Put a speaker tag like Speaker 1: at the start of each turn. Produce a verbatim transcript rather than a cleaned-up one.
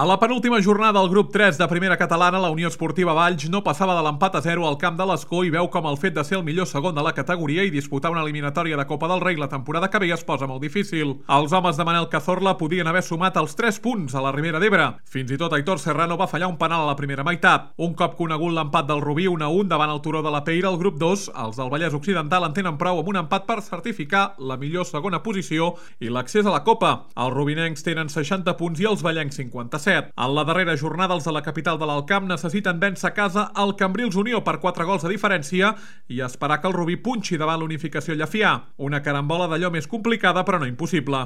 Speaker 1: A la penúltima jornada del grup tres de primera catalana, la Unió Esportiva Valls no passava de l'empat a zero al camp de l'Escó i veu com el fet de ser el millor segon de la categoria i disputar una eliminatòria de Copa del Rei la temporada que ve es posa molt difícil. Els homes de Manel Cazorla podien haver sumat els tres punts a la Ribera d'Ebre. Fins i tot Aitor Serrano va fallar un penal a la primera meitat. Un cop conegut l'empat del Rubí un a un davant el Turó de la Peira, al grup dos, els del Vallès Occidental en tenen prou amb un empat per certificar la millor segona posició i l'accés a la Copa. Els rubinencs tenen seixanta punts i els vallencs cinquanta-set. En la darrera jornada, els de la capital de l'Alt Camp necessiten vèncer a casa el Cambrils Unió per quatre gols de diferència i esperar que el Rubí punxi davant l'Unificació Llefià. Una carambola d'allò més complicada però no impossible.